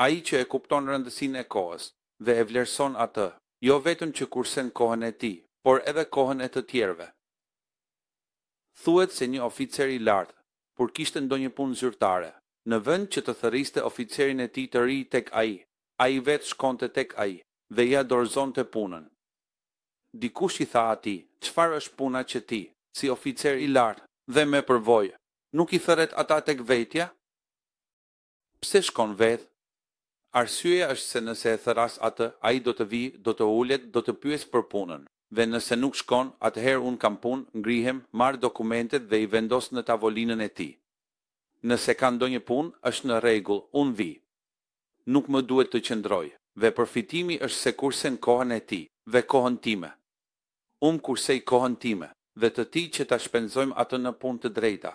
Ai që e kupton rëndësinë e kohës dhe e vlerëson atë, jo vetëm që kursen kohën e tij, por edhe kohën e të tjerëve. Thuhet se një oficer i lartë, kur kishte ndonjë punë zyrtare, në vend që të thërriste oficerin e tij të ri tek ai, ai vetë shkonte tek ai dhe ia dorëzonte punën. Dikush i tha atij, Çfarë është puna që ti, si oficer i lartë dhe me përvojë, nuk i thërret ata tek vetja? Pse shkon vetë? Arsyeja është se nëse e thërras atë, ai do të vijë, do të ulet, do të pyesë për punën. Dhe nëse nuk shkon, atëherë unë kam punë, ngrihem, marr dokumentet dhe i vendos në tavolinën e tij. Nëse ka ndonjë punë, është në rregull, unë vij. Nuk më duhet të qëndroj. Dhe përfitimi është se kursen kohën e tij, dhe kohën time. Unë kursej kohën time, dhe të tij që ta shpenzojmë atë në punë të drejta.